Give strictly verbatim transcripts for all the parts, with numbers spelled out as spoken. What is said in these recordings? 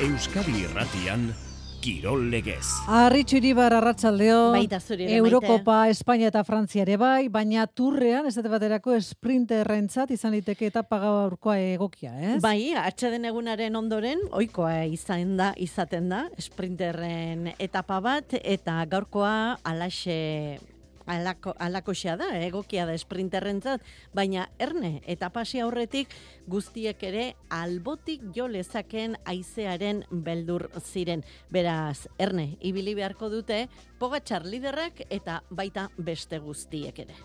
Euskadi Irratian, Kirol Legez. Arritxu Iribar arratsaldeo. Baita zuri ere, Eurokopa, Espainia eta Frantzia ere bai, baina turrean, ez baterako sprinterrentzat izan liteke etapa gaurkoa egokia, ez? Bai, atxeden egunaren ondoren, ohikoa izan da, izaten da, sprinterren etapa bat, eta gaurkoa alaxe... Alako, alakoxea da, egokia da sprinterrentzat, baina erne eta pasi aurretik guztiek ere albotik jo lezaken haizearen beldur ziren. Beraz, erne, ibili beharko dute Pogačar liderrak eta baita beste guztiek ere.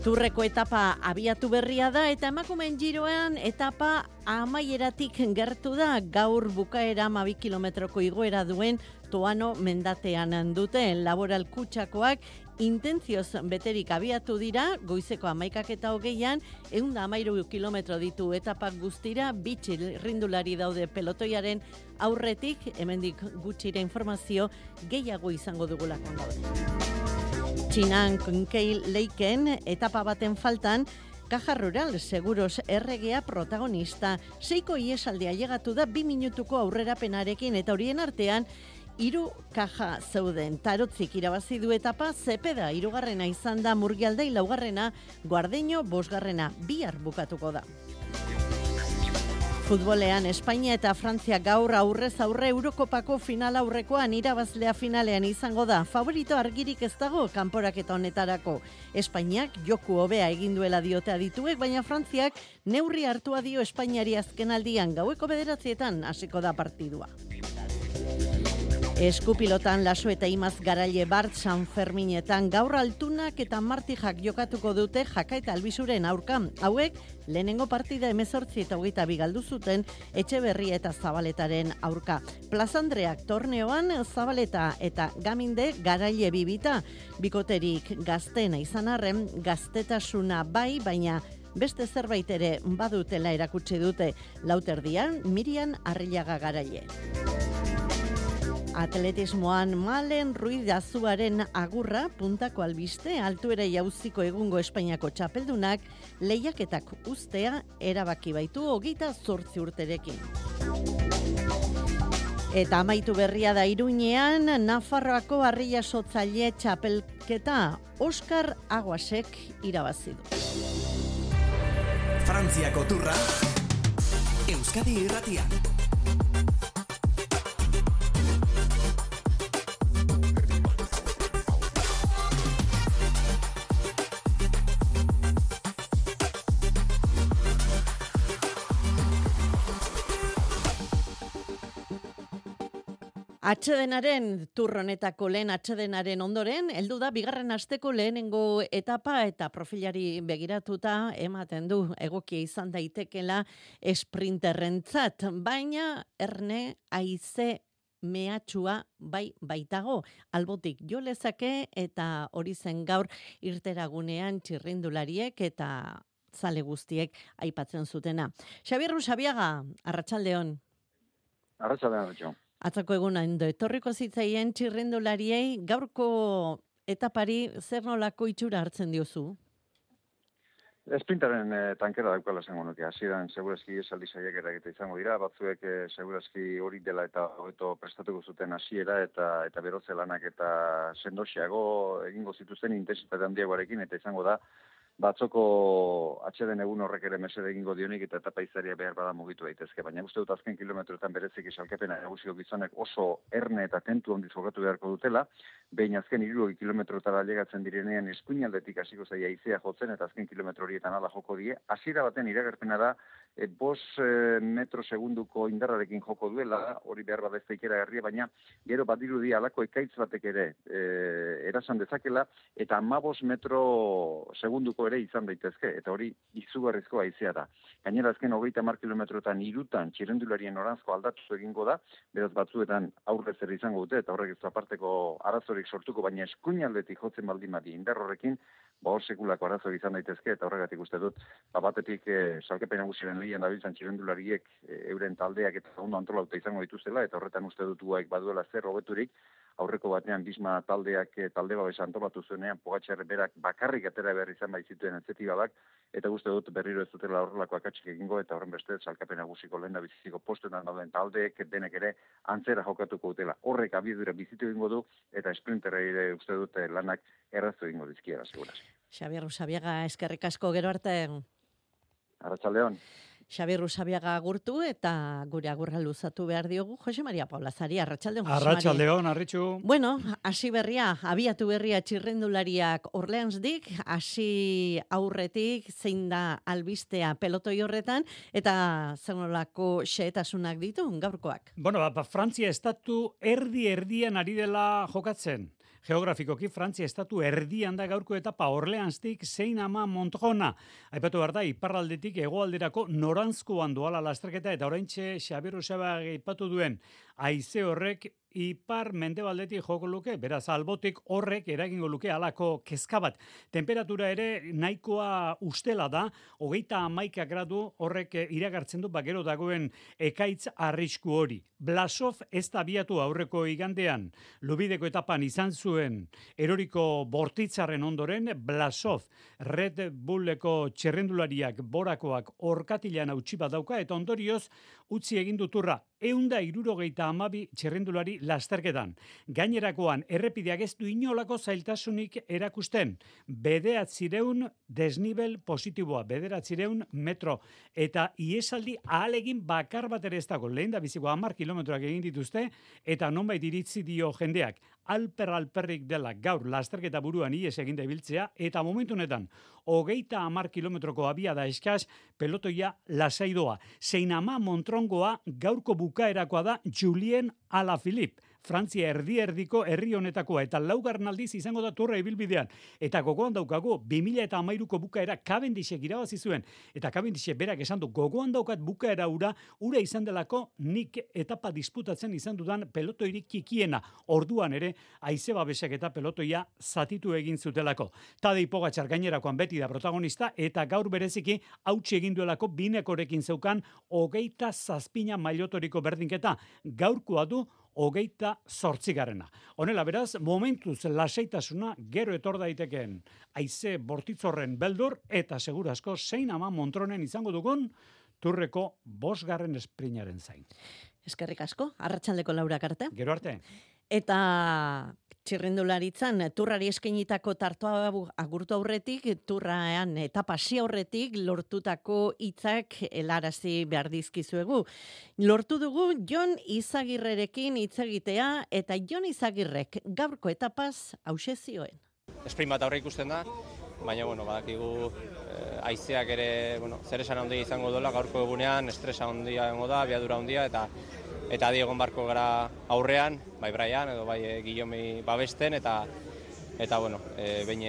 Turreko etapa abiatu berria da eta emakumeen giroan etapa amaieratik gertu da, gaur bukaera hamabi kilometroko igoera duen Toano mendatean dute. Laboral Kutxakoak intentzioz beterik abiatu dira, goizeko hamaikak eta hogeian, ehun eta hamairu kilometro ditu etapak guztira, bi txirrindulari daude pelotoiaren aurretik, hemendik gutxira informazio gehiago izango dugulakoan daude. Txinan Keil Leiken etapa baten faltan, Caja Rural Seguros erregea protagonista. Seiko iesaldea llegatu da bi minutuko aurrerapenarekin eta horien artean hiru kaja zeuden. Tarotzik irabazi du etapa, Zepeda hirugarrena izan da, Murgialdai laugarrena, Guardeño bosgarrena, bihar bukatuko da. Futbolean, Espainia eta Frantzia gaur aurrez aurre Eurokopako final aurrekoan irabazlea finalean izango da. Favorito argirik ez dago kanporaketa honetarako. Espainiak joku hobea egin duela diote adituek, baina Frantziak neurri hartua dio Espainiari azkenaldian, gaueko bederatzietan hasiko da partidua. Eskupilotan Laso eta Imaz Garaile Bart San Ferminetan gaur Altunak eta Martijak jokatuko dute Jaka eta Albizuren aurka. Hauek lehenengo partida hemezortzi eta hogeita bi galdu zuten Etxeberria eta Zabaletaren aurka. Plazandreak torneoan Zabaleta eta Gaminde Garaile bibita. Bikoterik gaztena izan arren, gaztetasuna bai, baina beste zerbait ere badutela erakutsi dute. Lauterdian Mirian Arrillaga Garaile. Atletismoan Malen Ruiz Azuaren agurra puntako albiste, altuera jauziko egungo Espainiako txapeldunak lehiaketak ustea erabaki baitu hogeita zortzi urterekin. Eta amaitu berria da Iruñean, Nafarroako Harria Sotzaile txapelketa Oskar Aguasek irabazi du. Frantziako turra, Euskadi Irratian. Atsedenaren turronetako lehen atsedenaren ondoren, heldu da bigarren asteko lehenengo etapa eta profilari begiratuta ematen du egokia izan daitekela sprinterrentzat, baina erne haize mehatxua bai baitago, albotik jo lezake eta hori zen gaur irteragunean txirrindulariek eta zale guztiek aipatzen zutena. Xabier Rusabiaga, arratsaldeon. Arratsaldeon, arratsaldeon. Atzako eguna endo etorriko zitzaien txirrindulariei gaurko etapari zer nolako itxura hartzen diozu? Sprintaren eh, tankera daukala esango nuke. Hasieran segurazki esaldi saiakera egite izango dira, batzuek eh, segurazki hori dela eta hobeto prestatuko zuten hasiera eta eta berotze lanak eta sendoxeago egingo zituzten intentsitate handiagoarekin eta izango da batzoko atxeden egun horrek ere mesede egingo dionik eta etapa izaria behar bada mugitu daitezke. Baina uste dut azken kilometroetan bereziki salkepena nagusiko gizonek oso erne eta tentu handiz jokatu beharko dutela, behin azken hirurogei kilometrotara llegatzen direnean eskuinaldetik hasiko zaia haizea jotzen eta azken kilometro horietan hala joko die. Hasiera baten iragarpena da e, bos e, metro segunduko indarrarekin joko duela, hori behar bada ez da ikeragarria, baina gero badirudi halako ekaitz batek ere e, erasan dezakela eta hamabos metro segunduko ere izan daitezke, eta hori izugarrizko haizea da. Gainera azken hogeita hamar kilometrotan hirutan txirrendularien noranzko aldatu egingo da, beraz batzuetan aurrez ere izango dute, eta horrek ez du aparteko arazorik sortuko, baina eskuinaldetik jotzen baldin badi indar horrekin, ba hor sekulako arazo izan daitezke, eta horregatik uste dut, ba batetik e, salkepen nagusiaren Madrilen dabiltzan txirrendulariek euren taldeak eta ondo antolatuta izango dituztela, eta horretan uste dut guaik baduela zer hobeturik. Aurreko batean Bisma taldeak talde babesa antolatu zuenean Pogačar berak bakarrik atera behar izan baitzituen etzetibabak, eta uste dut berriro ez dutela horrelako akatsik egingo, eta horren beste salkapen nagusiko lehen da biziko postuetan dauden taldeek denek ere antzera jokatuko dutela. Horrek abiedura bizitu egingo du, eta esprinterra ere uste dut lanak errazu egingo dizkiera, seguraz. Xabier Usabiaga, eskerrik asko, gero arte. Arratsaldeon. Xabier Usabiaga agurtu eta gure agurra luzatu behar diogu Jose Maria Paulasari. Arratsaldeon, Jose Maria. Arratsaldeon, Arritxu. Bueno, hasi berria, abiatu berria txirrendulariak Orleansdik, hasi aurretik zein da albistea pelotoi horretan, eta zenolako xehetasunak ditu gaurkoak. Bueno, ba, Frantzia estatu erdi-erdian ari dela jokatzen. Geografikoki Frantzia estatu erdian da gaurko etapa Orleanstik zein ama Montrona. Aipatu behar da, iparraldetik hegoalderako noranzkoan doala lasterketa, eta oraintxe Xabier Usabiaga aipatu duen haize horrek ipar mendebaldetik joko luke, beraz albotik horrek eragingo luke halako kezka bat. Temperatura ere nahikoa ustela da, hogeita hamaika gradu horrek iragartzen du bagero dagoen ekaitz arrisku hori. Blasov ez da abiatu aurreko igandean, Lubideko etapan izan zuen eroriko bortitzaren ondoren, Blasov Red Bulleko txerrendulariak borakoak orkatilan hautsi bat dauka, eta ondorioz utzi egin duturra eunda irurogeita amabi txerrendulari lasterketan. Gainerakoan errepideak ez du inolako zailtasunik erakusten. Bederatzireun desnibel positiboa, bederatzireun metro. Eta iesaldi ahalegin bakar bat ere ez dago. Lehen da biziko hamar kilometroak egin dituzte, eta nonbait iritzi dio jendeak. Alper alperrik dela gaur lasterketa buruan ies eginda ibiltzea, eta momentu honetan hogeita hamar kilometroko abiada eskaz pelotoia lasaidoa. Zein ama Montrongoa gaurko bukaerakoa da Julien Alaphilippe. Frantzia erdi-erdiko herri honetakoa, eta laugarren aldiz izango da turra ibilbidean. Eta gogoan daukago, bi mila hamairuko bukaera Cavendishek irabazi zuen, eta Cavendishek berak esan du, gogoan daukat bukaera ura, ura izan delako nik etapa disputatzen izan dudan pelotoirik kikiena. Orduan ere, haize babesek eta pelotoia zatitu egin zutelako. Tadej Pogačar gainerakoan beti da protagonista, eta gaur bereziki hautsi egin duelako binekorekin zeukan hogeita zazpina mailotoriko berdinketa. Gaurkoa du hogeita zortzigarrena. Honela beraz, momentuz lasaitasuna gero etor daitekeen haize bortitzorren beldur, eta segurazko zein ama Montronen izango dugun turreko bosgarren esprinaren zain. Eskerrik asko, arratsaldeko laurak arte. Gero arte. Eta txirrindularitzan turrari eskainitako tartoa agurtu aurretik, turraean etapa hasi aurretik lortutako hitzak helarazi behar dizkizuegu. Lortu dugu Jon Izagirrerekin hitz egitea, eta Jon Izagirrek gaurko etapaz hauxe zioen. Sprint bat aurre ikusten da, baina bueno, badakigu eh, haizeak ere, bueno, zer esan handia izango dola gaurko egunean, estresa handia egongo da, abiadura handia, eta eta diegon barko gara aurrean, bai Brian edo bai e, Guillaume babesten, eta eta bueno, e, behin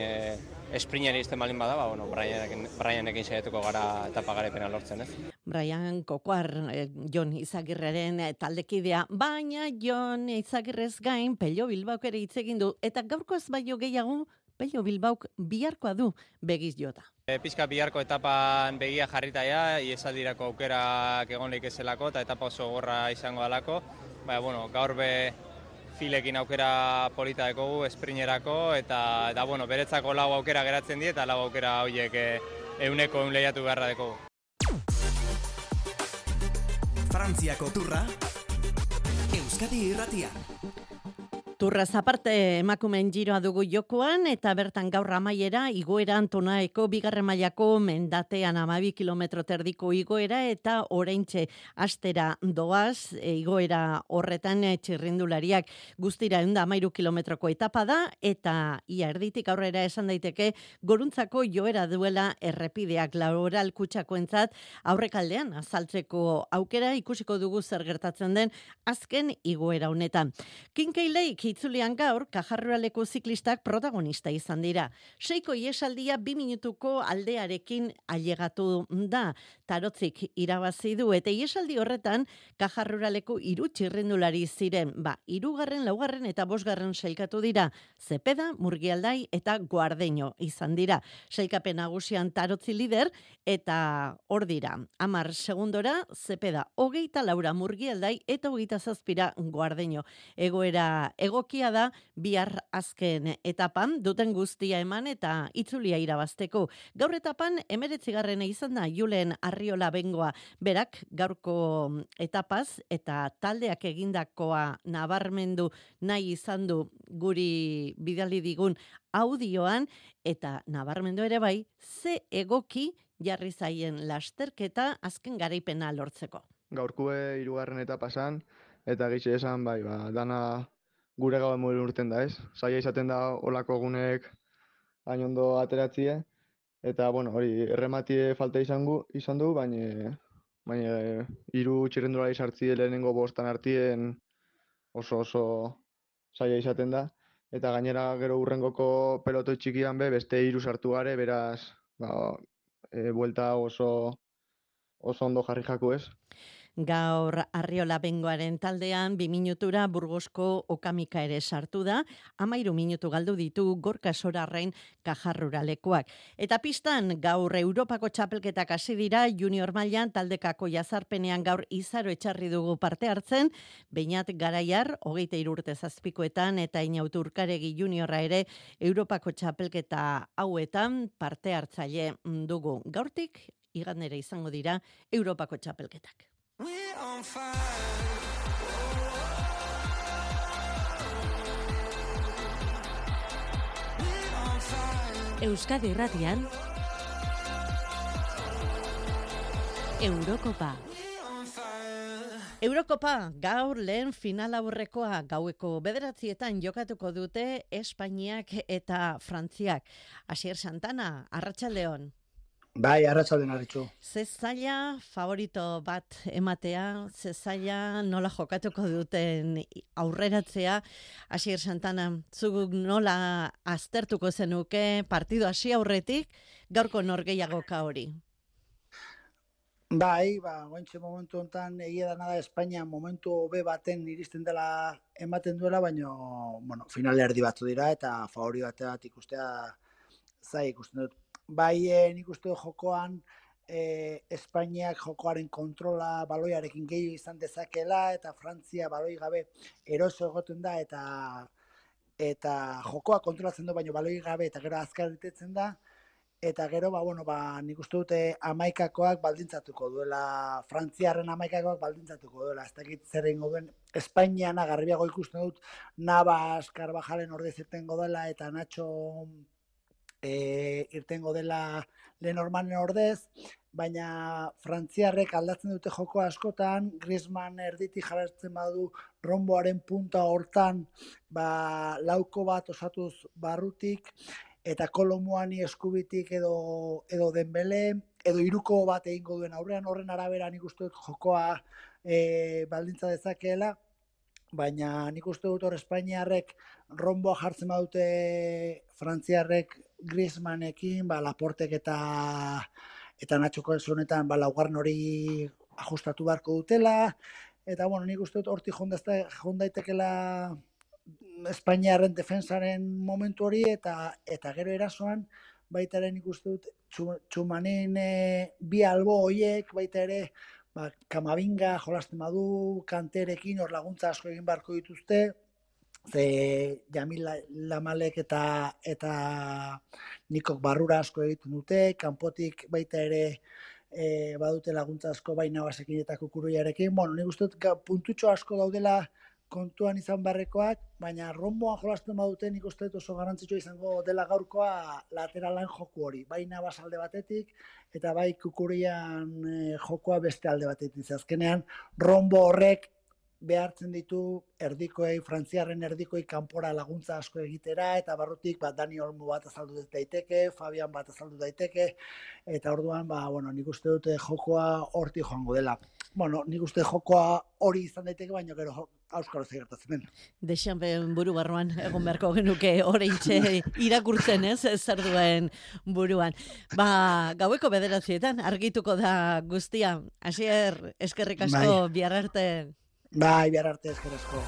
esprineri izten balin bada, ba, bueno, Brianekin, Brianekin saiatuko gara etapa garepena lortzen, ez? Brian Kokoar, eh, Jon Izagirreren eh, taldekidea, baina Jon Izagirrez gain Pello Bilbaok ere hitz egin du, eta gaurkoz baino gehiago Pello Bilbaok biharkoa du begiz jota. E, pizka biharko etapan begia jarrita ja, iesaldirako aukerak egon leikezelako, eta etapa oso gorra izango dalako. Baina, bueno, gaur be filekin aukera polita dekogu, esprinerako, eta, eta bueno, beretzako lau aukera geratzen die, eta lau aukera horiek e, euneko eun lehiatu beharra dekogu. Frantziako turra, Euskadi irratian. Turraz aparte emakumeen giroa dugu jokoan, eta bertan gaur amaiera igoera Antonaeko bigarren mailako mendatean hamabi kilometro terdiko igoera, eta oraintxe astera doaz e, igoera horretan e, txirrindulariak guztira ehun eta hamairu kilometroko etapa da, eta ia erditik aurrera esan daiteke goruntzako joera duela errepideak Laboral Kutxakoentzat aurrekaldean azaltzeko aukera ikusiko dugu zer gertatzen den azken igoera honetan. Kinkeilek itzulian gaur, Kajarruraleko ziklistak protagonista izan dira. Seiko iesaldia bi minutuko aldearekin ailegatu da. Tarotzik irabazi du eta iesaldi horretan Kajarruraleko hiru txirrindulari ziren. Ba, hirugarren, laugarren eta bosgarren sailkatu dira. Zepeda, Murgialdai eta Guardeño izan dira. Sailkapen nagusian Tarotzi lider eta hor dira. Hamar segundora Zepeda, hogeita laura Murgialdai eta hogeita zazpira Guardeño. Egoera egokia da bihar azken etapan duten guztia eman eta itzulia irabazteko. Gaur etapan emeretzigarrena izan da Julen Arriola Bengoa. Berak gaurko etapaz eta taldeak egindakoa nabarmendu nahi izan du guri bidali digun audioan eta nabarmendu ere bai ze egoki jarri zaien lasterketa azken garaipena lortzeko. Gaurkue hirugarren etapa esan, eta gitxe esan, bai, ba, dana gure gauen modu urten da, ez? Zaila izaten da olako egunek hain ondo ateratzie, eta, bueno, hori, errematie falta izan, gu, izan du, baina baina hiru txirrendulari sartzie lehenengo bostan artien oso oso zaila izaten da, eta gainera gero urrengoko pelotoi txikian be, beste hiru sartu gare, beraz, ba, e, buelta oso oso ondo jarri jaku, ez? Gaur Arriola Bengoaren taldean bi minutura Burgosko Okamika ere sartu da, hamairu minutu galdu ditu Gorka Sorarrain Kajarruralekoak. Eta pistan gaur Europako txapelketak hasi dira junior mailan taldekako jazarpenean gaur Izaro Etxarri dugu parte hartzen, Beñat Garaiar, hogeita hiru urte zazpikoetan eta Inautu Urkaregi juniorra ere Europako txapelketa hauetan parte hartzaile dugu. Gaurtik igandera izango dira Europako txapelketak. Euskadi Irratian Eurokopa. Eurokopa gaur lehen final aurrekoa gaueko bederatzietan jokatuko dute Espainiak eta Frantziak. Asier Santana, arratsaldeon. Bai, arratsaldean arritxu. Ze zaila favorito bat ematea, ze zaila nola jokatuko duten aurreratzea. Asier Santana, zuk nola aztertuko zenuke partido hasi aurretik, gaurko norgehiagoka hori? Bai, ba, gointxe momentu honetan egia da nada Espainia momentu hobe baten iristen dela ematen duela, baina bueno, finale erdi batzu dira eta favori bateat ikustea zai ikusten dut. Bai, eh, nik uste dut jokoan eh, Espainiak jokoaren kontrola baloiarekin gehiago izan dezakela eta Frantzia baloi gabe eroso egoten da eta eta jokoa kontrolatzen du baino baloi gabe eta gero azkar irtetzen da eta gero ba bueno ba nik uste dute hamaikakoak baldintzatuko duela Frantziarren hamaikakoak baldintzatuko duela. Ez dakit zer egingo duen Espainiana garbiago ikusten dut Navas Carvajalen ordez irtengo dela eta Nacho E, irtengo dela Lenormanen ordez, baina Frantziarrek aldatzen dute joko askotan, Griezmann erditik jarratzen badu romboaren punta hortan, ba, lauko bat osatuz barrutik, eta Kolomuani eskubitik edo, edo Dembele, edo hiruko bat egingo duen aurrean, horren arabera nik uste dut jokoa e, baldintza dezakeela, baina nik uste dut hor Espainiarrek romboa jartzen badute Frantziarrek Griezmannekin, ba, Laportek eta eta Natxoko honetan ba, laugarren hori ajustatu beharko dutela, eta bueno, nik uste dut hortik jondaitekela Espainiarren defensaren momentu hori, eta eta gero erasoan, baita ere nik uste dut Txumanin e, bi albo horiek, baita ere ba, Kamavinga jolasten badu, Kanterekin hor laguntza asko egin beharko dituzte, ze Jamil Lamalek eta eta Nikok barrura asko egiten dute, kanpotik baita ere e, badute laguntza asko baina basekin eta Kukuruiarekin. Bueno, nik uste dut puntutxo asko daudela kontuan izan barrekoak, baina romboan jolasten badute nik uste dut oso garrantzitsua izango dela gaurkoa lateralan joku hori. Bai Navas alde batetik eta bai Kukurian e, jokoa beste alde batetik. Azkenean rombo horrek behartzen ditu erdikoei, Frantziarren erdikoi kanpora laguntza asko egitera, eta barrutik ba, Dani Olmo bat azaldu daiteke, Fabian bat azaldu daiteke, eta orduan, ba, bueno, nik uste dute jokoa hortik joango dela. Bueno, nik uste jokoa hori izan daiteke, baina gero auskalo ze gertatzen den. Dexanpen buru barruan egon beharko genuke oraintxe irakurtzen, ez, zer duen buruan. Ba, gaueko bederatzietan argituko da guztia. Asier, eskerrik asko, bihar arte. Bai, bihar arte eskerrik asko.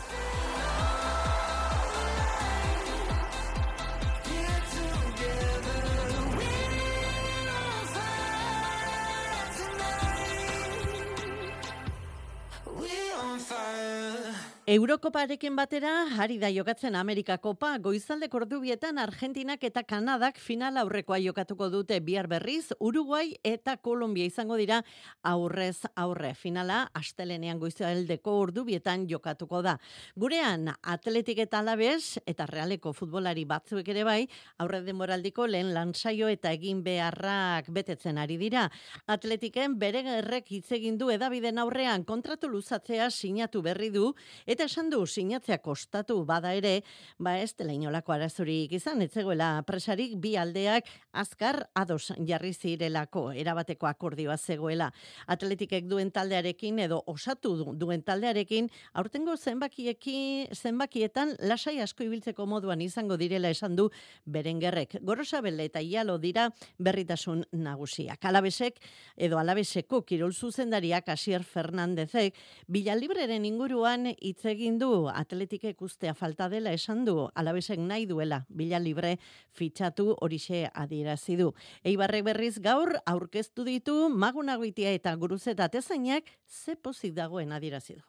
Eurokoparekin batera, ari da jokatzen Amerika Kopa, goizaldeko ordubietan Argentinak eta Kanadak final aurrekoa jokatuko dute bihar berriz, Uruguai eta Kolombia izango dira aurrez aurre. Finala, astelenean goizaldeko ordubietan jokatuko da. Gurean, Atletik eta Alabes eta Realeko futbolari batzuek ere bai, aurre denboraldiko lehen lansaio eta egin beharrak betetzen ari dira. Atletiken bere gerrek hitz egin du edabiden aurrean kontratu luzatzea sinatu berri du, eta esan du sinatzea kostatu bada ere, ba ez dela inolako arazorik izan, ez zegoela presarik bi aldeak azkar ados jarri zirelako, erabateko akordioa zegoela. Atletikek duen taldearekin edo osatu duen taldearekin, aurtengo zenbakiekin, zenbakietan lasai asko ibiltzeko moduan izango direla esan du Berengerrek. Gorosabel eta Ialo dira berritasun nagusiak. Alabesek edo Alabeseko kirol zuzendariak Asier Fernandezek Villalibreren inguruan hitz egin du, Atletikek ustea falta dela esan du, Alabesek nahi duela Villalibre fitxatu horixe adierazi du. Eibarrek berriz gaur aurkeztu ditu Magunagoitia eta Guruzeta Tezainak ze pozik dagoen adierazi du.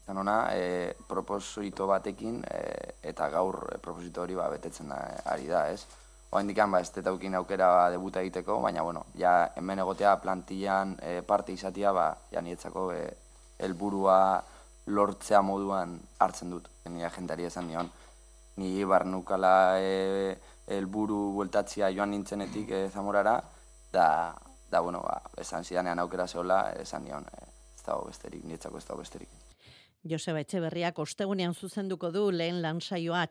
Zanona, e, proposito batekin e, eta gaur e, proposito hori ba, betetzen da, ari da, ez? Oa indikan, ba, ez tetaukin aukera ba, debuta egiteko, baina, bueno, ja, hemen egotea plantillan e, parte izatea, ba, ja, nietzako e, helburua lortzea moduan hartzen dut. Ni agentari esan nion, ni barnukala e, helburu bueltatzia joan nintzenetik e, Zamorara, da, da, bueno, ba, esan zidanean aukera zehola, esan nion, e, ez dago besterik, nietzako ez dago besterik. Joseba Etxeberriak ostegunean zuzenduko du lehen lansaioa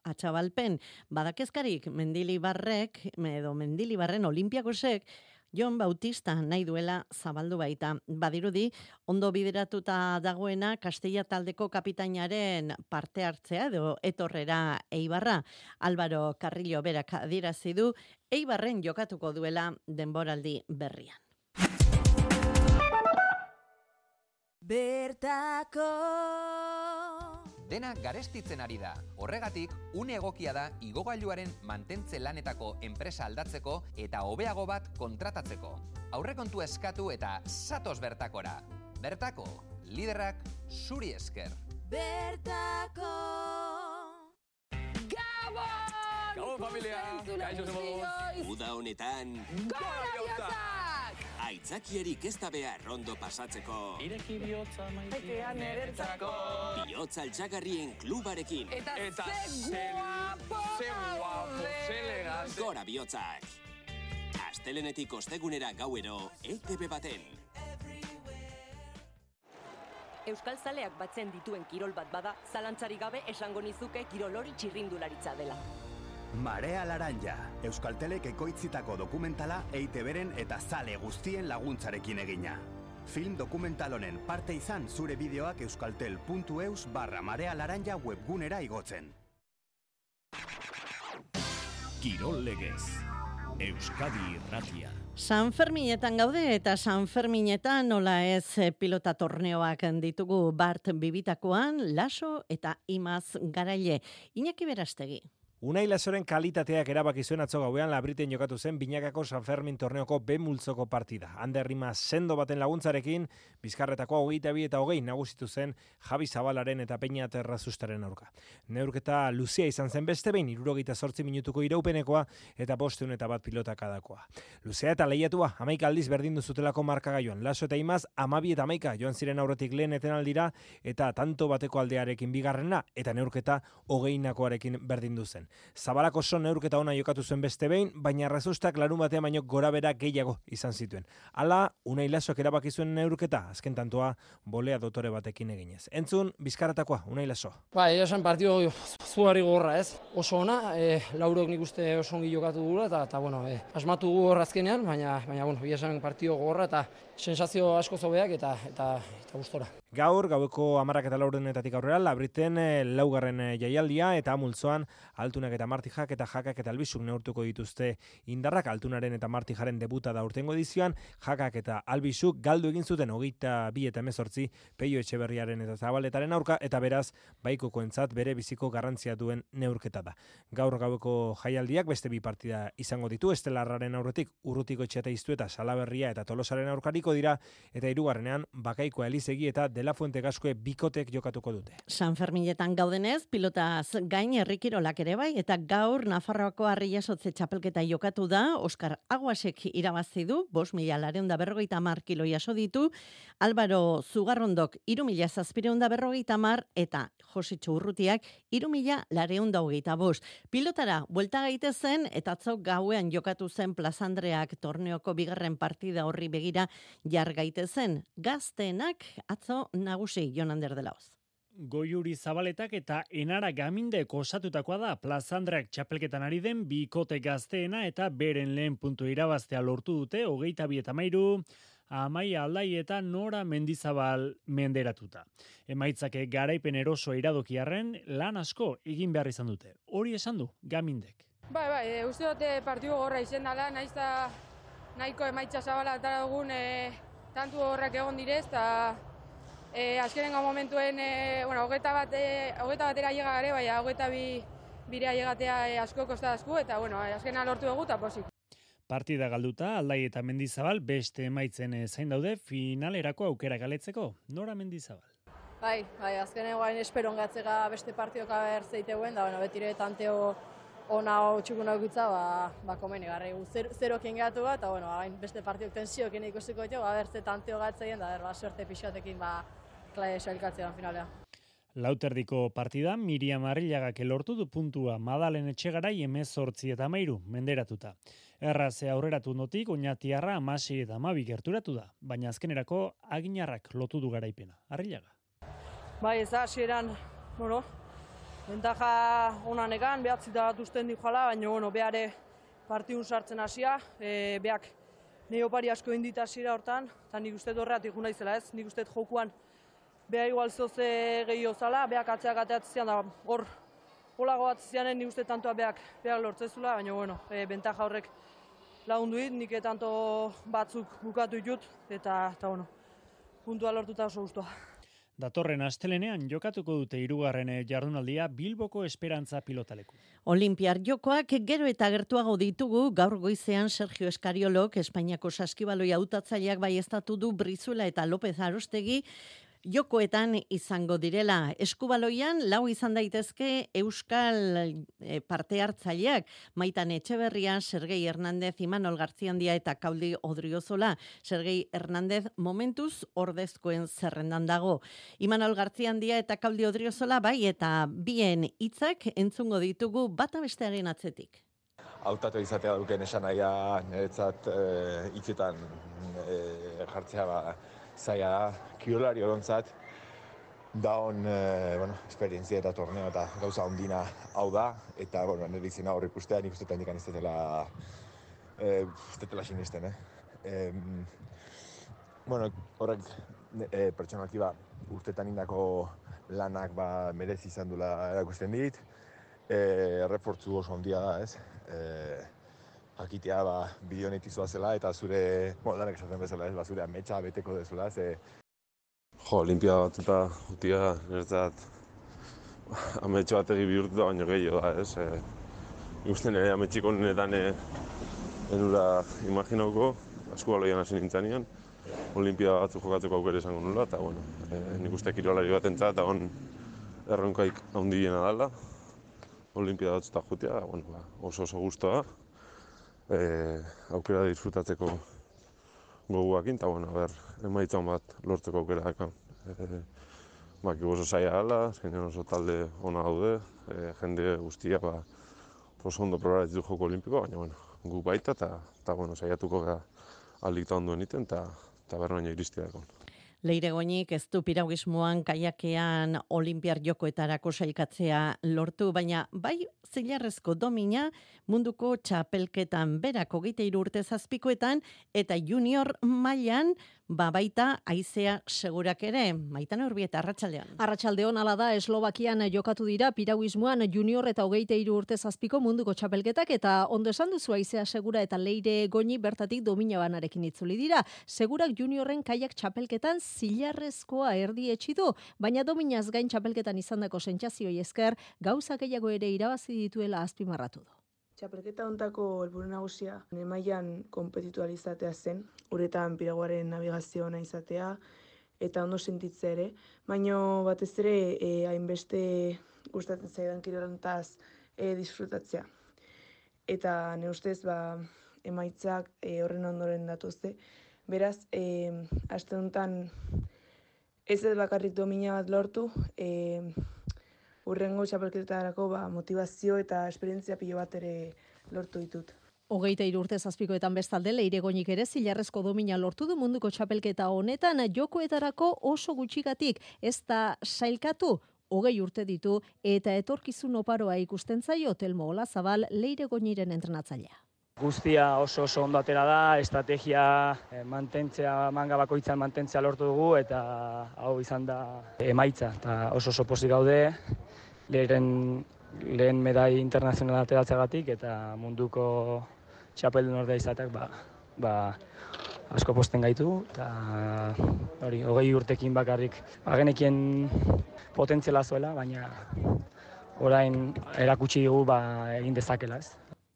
Atxabalpen. Badakezkarik Mendilibarrek, edo Mendilibarren Olimpiakosek, Jon Bautista nahi duela zabaldu baita. Badirudi, ondo bideratuta dagoena Kastilla taldeko kapitainaren parte hartzea edo etorrera Eibarra. Álvaro Carrillo berak adierazi du Eibarren jokatuko duela denboraldi berrian. Bertako Dena garestitzen ari da. Horregatik, une egokia da igogailuaren mantentze lanetako enpresa aldatzeko eta hobeago bat kontratatzeko. Aurrekontua eskatu eta zatoz bertakora. Bertako, liderrak zuri esker. Bertako Gabon! Gabon, familia! Kaixo zemoz! Uda honetan Gora biotzak! Aitzakiarik ez da behar rondo pasatzeko. Ireki bihotza maitean eretzako. Bihotza altxagarrien klubarekin. Eta, eta ze guapo! Ze guapo, ze elegante. Gora bihotzak. Astelenetik ostegunera gauero, E T B baten. Euskal Zaleak batzen dituen kirol bat bada, zalantzarik gabe esango nizuke kirol hori txirrindularitza dela. Marea Laranja, Euskaltelek ekoitzitako dokumentala E I Te Beren eta zale guztien laguntzarekin egina. Film dokumental honen parte izan zure bideoak euskaltel puntu eus barra Marea Laranja webgunera igotzen. Kirol legez, Euskadi Irratia. San Ferminetan gaude eta San Ferminetan nola ez pilota torneoak ditugu Bart Bibitakoan, Laso eta Imaz Garaile. Iñaki Berastegi. Unai Lasoren kalitateak erabaki zuen atzo gauean Labriten jokatu zen Binakako San Fermin torneoko B multzoko partida. Ander Rima sendo baten laguntzarekin, Bizkarretako hogeita bi eta hogei nagusitu zen Javi Zabalaren eta Peña Terrazustaren aurka. Neurketa luzea izan zen beste behin, hirurogeita zortzi minutuko iraupenekoa eta bosteun eta bat pilotakaдаkoa. Luzea eta lehiatua, hamaika aldiz berdindu zutelako markagailuan. Laso eta Imaz, hamabi eta hamaika joan ziren aurretik lehen etenaldira eta tanto bateko aldearekin bigarrena eta neurketa hogeinakoarekin berdindu zen. Zabalak oso neurketa ona jokatu zuen beste behin, baina Rezustak larun batean baino gorabera gehiago izan zituen. Hala, Unai Lasok erabaki zuen neurketa, azken tantoa bolea dotore batekin eginez. Entzun, Bizkarretakoa, Unai Laso. Ba, esan partido zugarri gogorra, ez? Oso ona, e, laurok nik uste oso ongi jokatu gula, eta, eta bueno, e, asmatu gu horra azkenean, baina, baina bueno, esan partido gogorra, eta sensazio asko zobeak, eta, eta, eta gustora. Gaur, gaueko hamarak eta laurdenetatik aurrera, Labriten e, laugarren e, jaialdia, eta multzoan Altunak eta Martijak eta Jakak eta Albizuk neurtuko dituzte indarrak. Altunaren eta Martijaren debuta da urtengo edizioan, Jakak eta Albizuk galdu egin zuten hogeita bi eta hemezortzi Peio Etxeberriaren eta Zabaletaren aurka, eta beraz, baikokoentzat bere biziko garrantzia duen neurketa da. Gaur gaueko jaialdiak beste bi partida izango ditu, Estelarraren aurretik Urrutiko Etxeata Iztu eta Salaberria eta Tolosaren aurkariko dira, eta hirugarrenean Bakaikoa Elizegi eta De La Fuente Gaskue bikotek jokatuko dute. San Ferminetan gaudenez, pilotaz gain herrikirolak ere bai, eta gaur Nafarroako Arriasotze txapelketa jokatu da, Oskar Aguasek irabazi du, bost mila lareun da berrogeita hamar kilo jaso ditu, Álvaro Zugarrondok hiru mila zazpireun da berrogeita hamar, eta Jositxo Urrutiak hiru mila lareun da hogeita bost. Pilotara, buelta gaitezen, eta atzo gauean jokatu zen Plazandreak torneoko bigarren partida horri begira jar gaitezen. Gazteenak atzo nagusi Jon Ander de Laoz. Goiuri Zabaletak eta Enara Gamindek osatutakoa da Plazandreak txapelketan ari den bikote gazteena, eta beren lehen puntu irabaztea lortu dute hogeita bi eta hamairu, Amaia Aldai eta Nora Mendizabal menderatuta. Emaitzake garaipen eroso iradokiarren lan asko egin behar izan dute. Hori esan du Gamindek. Bai, bai, e, uste dute partidu gorra izen dela, naiz eta nahiko emaitza zabala eta dugun e, tantu horrak egon direz, eta e, azkenengo momentuen, e, bueno, hogeita bat, e, hogeita batera llega gare, bai, hogeita bi bire llegatea e, asko kosta asku, eta bueno, azkena lortu dugu, eta posik. Partida galduta, Aldai eta Mendizabal beste emaitzen zain daude finalerako aukera galetzeko. Nora Mendizabal. Bai, bai, azkenen guain esperon gatzega beste partioka behar zeiteuen, da bueno, betire tanteo ona hau txukun aukitza, ba, ba komeni garri. Zer, zerokin gehatu bat, eta bueno, bain beste partiok tensiokin ikusiko jo, ba, berze tanteo gatzeien, da ber, ba, suerte pixatekin, ba, klae sailkatzean finalea. Lauterdiko partida, Miriam Arrillagak lortu du puntua, Madalen Etxegarai hemezortzi eta hamairu menderatuta. Erraze aurreratu notik, Oñatiarra hamasei eta hamabi gerturatu da, baina azkenerako Aginarrak lotu du garaipena. Arrillaga. Bai, ez da, hasieran, bueno, bentaja onanekan, behatzita bat usten di jala, baina, bueno, behare partidun sartzen hasia, e, beak neopari asko indita hasiera hortan, eta nik uste horreatik juna izela ez, nik uste jokuan beha igual zoze gehiago zala, beak atzeak ateatzean da, hor, holago atzeanen nik uste tantoa beak, beak lortzezula, baina, bueno, e, bentaja horrek lagundu dit, nik tanto batzuk bukatu ditut, eta, eta bueno, puntua lortuta oso guztua. Datorren astelenean jokatuko dute hirugarren jardunaldia Bilboko Esperantza pilotaleku. Olimpiar jokoak gero eta gertuago ditugu, gaur goizean Sergio Eskariolok Espainiako saskibaloi hautatzaileak baieztatu du Brizuela eta López Arostegi jokoetan izango direla. Eskubaloian lau izan daitezke euskal parte hartzaileak, Maitan Etxeberria, Sergei Hernández, Imanol Gartziandia eta Kaudi Odriozola. Sergei Hernández momentuz ordezkoen zerrendan dago. Imanol Gartziandia eta Kaudi Odriozola bai, eta bien hitzak entzungo ditugu bata bestearen atzetik. Hautatu izatea duken esan nahia niretzat hitzetan e, jartzea ba, zaila da, kirolari odontzat, da hon, e, bueno, esperientzia eta torneo eta gauza ondina hau da, eta, bueno, nire izena hor ikustea, nik uste eta indikan ez detela, e, ez detela sinisten, eh? E, bueno, horrek e, pertsonalki ba, urtetan indako lanak ba, merezi izan dula erakusten dit, e, errefortzu oso ondia da, ez? E, jakitea ba, bidionetizua zela eta zure, bueno, danek esaten bezala ez, ba, zure ametsa beteko dezula, ze... Jo, olimpia bat eta jutia, niretzat, ametsa bat egi bihurtu da baino gehiago da, ez? E, ikusten ere ametxiko niretan e, enura imaginauko, askubaloian hasi nintzanean, olimpia batzu jokatzeko aukera izango nula, eta, bueno, e, nik uste kirolari bat entzat, eta hon erronkaik handiena dala, olimpia batzu eta jutia, bueno, ba, oso oso guztua, E, aukera disfrutatzeko goguakin, eta bueno, ber, emaitzan bat lortzeko aukera dakan. E, Baki oso zaila gala, azkenean oso talde ona daude, e, jende guztia ba, oso ondo probaratzi du joko olimpikoa, baina bueno, gu baita eta eta bueno, saiatuko ga aldik ta ondo egiten eta ta berbaino iristeako. Leire Goñik ez du piragüismoan kaiakean olimpiar jokoetarako sailkatzea lortu, baina bai zilarrezko domina munduko txapelketan berak hogeita hiru urte zazpikoetan eta junior mailan ba baita Aizea Segurak ere. Maitan Urbieta, arratsaldean. Arratsaldeon hala da, Eslovakian jokatu dira piragüismoan junior eta hogeita hiru urte zazpiko munduko txapelketak eta ondo esan duzu Aizea Segura eta Leire Goñi bertatik domina banarekin itzuli dira. Segurak juniorren kaiak txapelketan zilarrezkoa erdi etxi du, baina dominaz gain txapelketan izandako sentsazioei esker gauza gehiago ere irabazi dituela azpimarratu du. Txapelketa hontako helburu nagusia mailan konpetitu ahal izatea zen, uretan piraguaren navigazio ona izatea eta ondo sentitzea ere, baina batez ere e, hainbeste gustatzen zaidan kirolontaz e, disfrutatzea. Eta ne ustez ba, emaitzak e, horren ondoren datuzte. Beraz, e, aste honetan ez ez bakarrik domina bat lortu, e, urrengo txapelketarako ba, motivazio eta esperientzia pilo bat ere lortu ditut. Hogeita hiru urte zazpikoetan bestalde Leire Goñik ere zilarrezko domina lortu du munduko txapelketa honetan jokoetarako oso gutxigatik ez da sailkatu, hogei urte ditu eta etorkizun oparoa ikusten zaio Telmo Olazabal Leire Goñiren entrenatzailea. Guztia oso oso ondo atera da, estrategia eh, mantentzea, manga bakoitzan mantentzea lortu dugu eta hau izan da emaitza eta oso oso pozik gaude lehen, lehen medai internazionala ateratzeagatik eta munduko txapeldun ordea izateak ba, ba, asko posten gaitu eta hori hogei urtekin bakarrik agenekien potentziala zuela, baina orain erakutsi dugu ba, egin dezakela ez.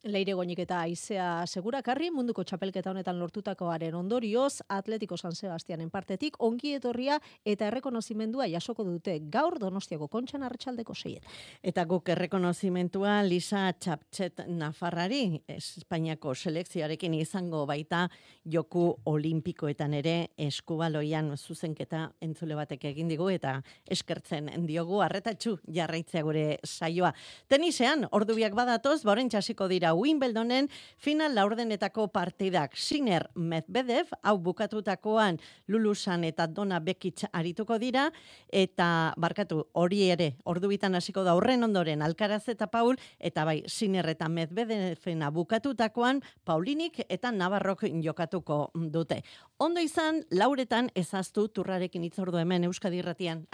Leire Goñik eta Aizea Segurakarri munduko txapelketa honetan lortutakoaren ondorioz Atletico San Sebastianen partetik ongi etorria eta errekonozimendua jasoko dute gaur Donostiako Kontxan arratsaldeko seian. Eta guk errekonozimendua Lisa Txaptxet Nafarrari Espainiako selekzioarekin izango baita joku olimpikoetan ere eskubaloian zuzenketa entzule batek egin digu eta eskertzen diogu arretatxu jarraitzea gure saioa. Tenisean ordubiak badatoz, bauren txasiko dira Wimbledonen final laurdenetako partidak. Sinner Medvedev, hau bukatutakoan Lulusan eta Donna Bekic arituko dira, eta barkatu hori ere, ordubitan hasiko da horren ondoren Alcaraz eta Paul, eta bai Sinner eta Medvedevena bukatutakoan Paulinik eta Navarrok jokatuko dute. Ondo izan, lauretan ezaztu turrarekin itzordu hemen Euskadi Irratian.